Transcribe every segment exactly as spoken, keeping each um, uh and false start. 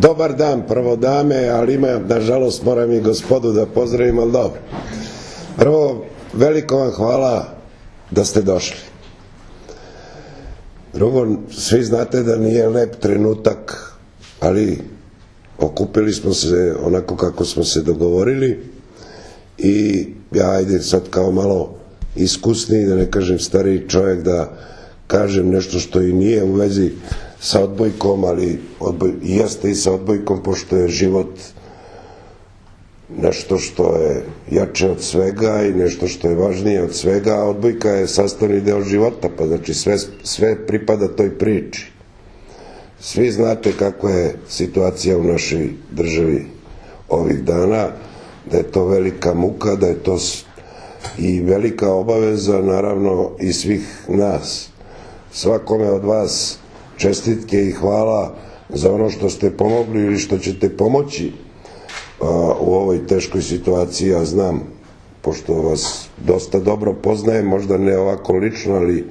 Dobar dan, prvo dame, ali ima, nažalost, moram i gospodu da pozdravim, ali dobro. Prvo, veliko vam hvala da ste došli. Drugo, svi znate da nije lep trenutak, ali okupili smo se onako kako smo se dogovorili i ja, ajde sad kao malo iskusniji, da ne kažem stariji čovjek, da kažem nešto što i nije u vezi sa odbojkom, ali odboj, jeste i sa odbojkom, pošto je život nešto što je jače od svega i nešto što je važnije od svega, a odbojka je sastavni deo života, pa znači sve, sve pripada toj priči. Svi znate kakva je situacija u našoj državi ovih dana, da je to velika muka, da je to i velika obaveza, naravno, i svih nas. Svakome od vas čestitke i hvala za ono što ste pomogli ili što ćete pomoći u ovoj teškoj situaciji. Ja znam, pošto vas dosta dobro poznajem, možda ne ovako lično, ali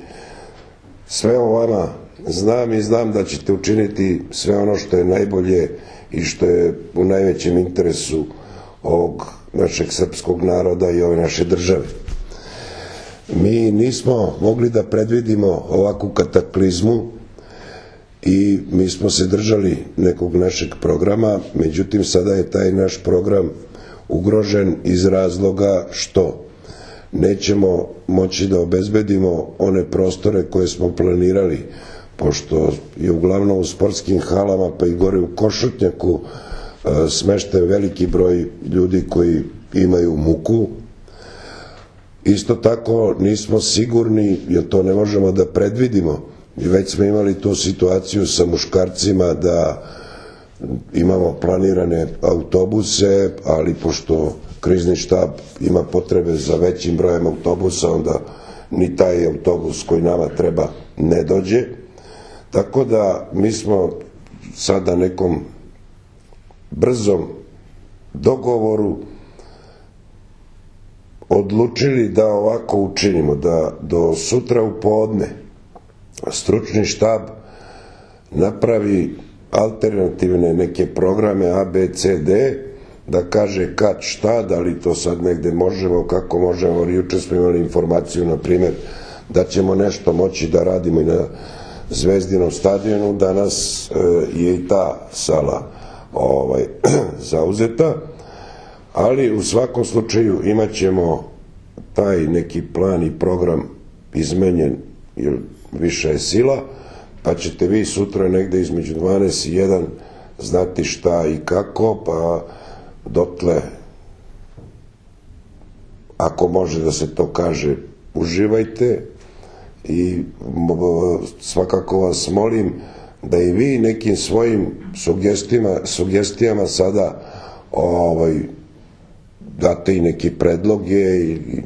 sve o vama znam i znam da ćete učiniti sve ono što je najbolje i što je u najvećem interesu ovog našeg srpskog naroda i ove naše države. Mi nismo mogli da predvidimo ovakvu kataklizmu i mi smo se držali nekog našeg programa, međutim sada je taj naš program ugrožen iz razloga što nećemo moći da obezbedimo one prostore koje smo planirali, pošto je uglavnom u sportskim halama pa i gore u Košutnjaku smešten veliki broj ljudi koji imaju muku. Isto tako nismo sigurni, jer to ne možemo da predvidimo, i već smo imali tu situaciju sa muškarcima da imamo planirane autobuse, ali pošto krizni štab ima potrebe za većim brojem autobusa, onda ni taj autobus koji nama treba ne dođe. Tako da mi smo sada nekom brzom dogovoru odlučili da ovako učinimo, da do sutra u podne stručni štab napravi alternativne neke programe A, B, C, D, da kaže kad šta, da li to sad negde možemo, kako možemo. Juče smo imali informaciju, na primjer, da ćemo nešto moći da radimo i na Zvezdinom stadionu, danas je i ta sala ovaj, zauzeta, ali u svakom slučaju imat ćemo taj neki plan i program izmenjen, jer više je sila, pa ćete vi sutra negde između dvanaest i jedan znati šta i kako, pa dotle, ako može da se to kaže, uživajte i svakako vas molim da i vi nekim svojim sugestijama, sugestijama sada ovaj, date i neke predloge i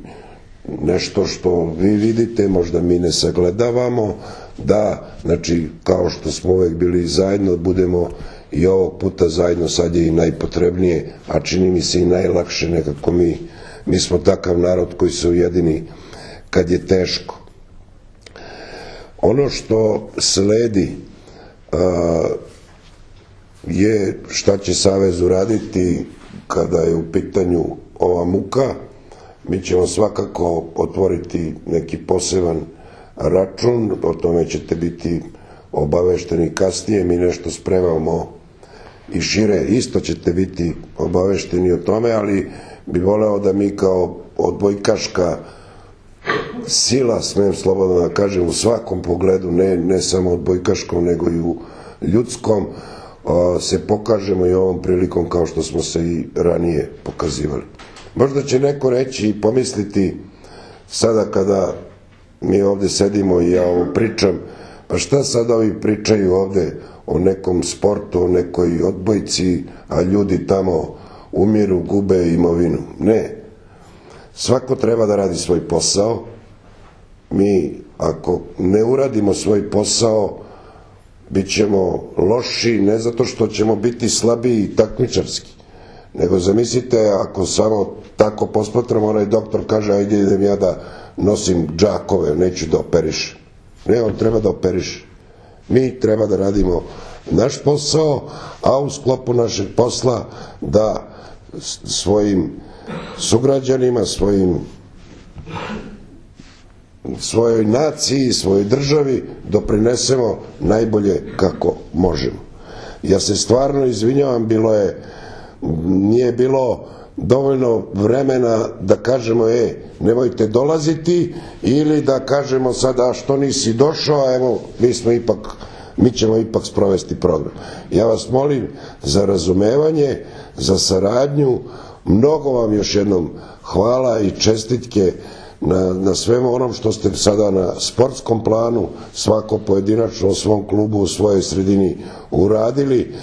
nešto što vi vidite, možda mi ne sagledavamo, da, znači, kao što smo uvek bili zajedno, budemo i ovog puta zajedno. Sad je i najpotrebnije, a čini mi se i najlakše, nekako mi, mi smo takav narod koji se ujedini kad je teško. Ono što sledi a, je šta će Savez uraditi kada je u pitanju ova muka. Mi ćemo svakako otvoriti neki poseban račun, o tome ćete biti obavešteni kasnije, mi nešto spremamo i šire, isto ćete biti obavešteni o tome, ali bi voleo da mi kao odbojkaška sila, smem slobodno da kažem, u svakom pogledu, ne, ne samo odbojkaškom, nego i u ljudskom, se pokažemo i ovom prilikom kao što smo se i ranije pokazivali. Možda će neko reći i pomisliti sada kada mi ovde sedimo i ja ovo pričam, pa šta sad ovi pričaju ovde o nekom sportu, o nekoj odbojci, a ljudi tamo umiru, gube imovinu. Ne. Svako treba da radi svoj posao. Mi, ako ne uradimo svoj posao, bit ćemo loši, ne zato što ćemo biti slabiji i takmičarski, nego zamislite ako samo tako posmatramo, onaj doktor kaže ajde idem ja da nosim džakove, neću da operišem. Ne, on treba da operiše. Mi treba da radimo naš posao, a u sklopu našeg posla da svojim sugrađanima, svojim svojoj naciji, svojoj državi doprinesemo najbolje kako možemo. Ja se stvarno izvinjavam, bilo je, nije bilo dovoljno vremena da kažemo, e, nemojte dolaziti, ili da kažemo sada, što nisi došao, evo, mi smo ipak, mi ćemo ipak sprovesti program. Ja vas molim za razumevanje, za saradnju, mnogo vam još jednom hvala i čestitke na, na svemu onom što ste sada na sportskom planu, svako pojedinačno u svom klubu, u svojoj sredini uradili.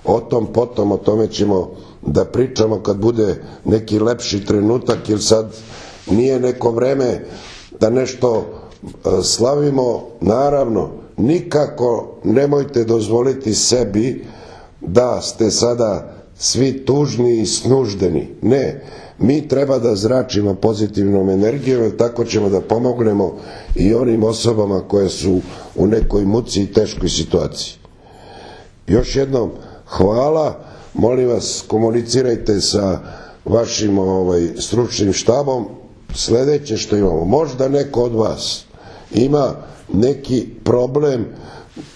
O tom potom, o tome ćemo da pričamo kad bude neki lepši trenutak, jer sad nije neko vreme da nešto slavimo. Naravno, nikako nemojte dozvoliti sebi da ste sada svi tužni i snuždeni. Ne, mi treba da zračimo pozitivnom energijom, jer tako ćemo da pomognemo i onim osobama koje su u nekoj muci i teškoj situaciji. Još jednom hvala, molim vas, komunicirajte sa vašim ovaj, stručnim štabom. Sledeće što imamo, možda neko od vas ima neki problem,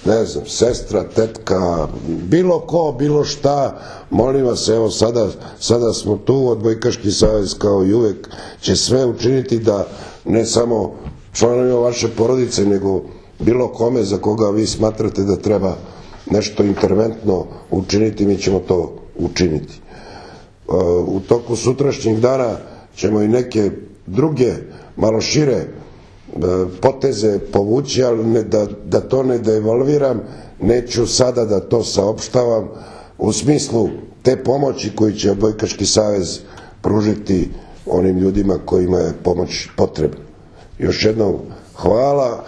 ne znam, sestra, tetka, bilo ko, bilo šta, molim vas, evo sada, sada smo tu, Odbojkaški savez kao i uvek će sve učiniti da ne samo članovima vaše porodice, nego bilo kome za koga vi smatrate da treba nešto interventno učiniti, mi ćemo to učiniti. U toku sutrašnjeg dana ćemo i neke druge, malo šire poteze povući, ali ne, da, da to ne devalviram, neću sada da to saopštavam u smislu te pomoći koju će Odbojkaški savez pružiti onim ljudima kojima je pomoć potrebna. Još jednom hvala,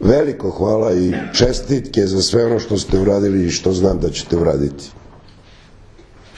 veliko hvala i čestitke za sve ono što ste uradili i što znam da ćete uraditi.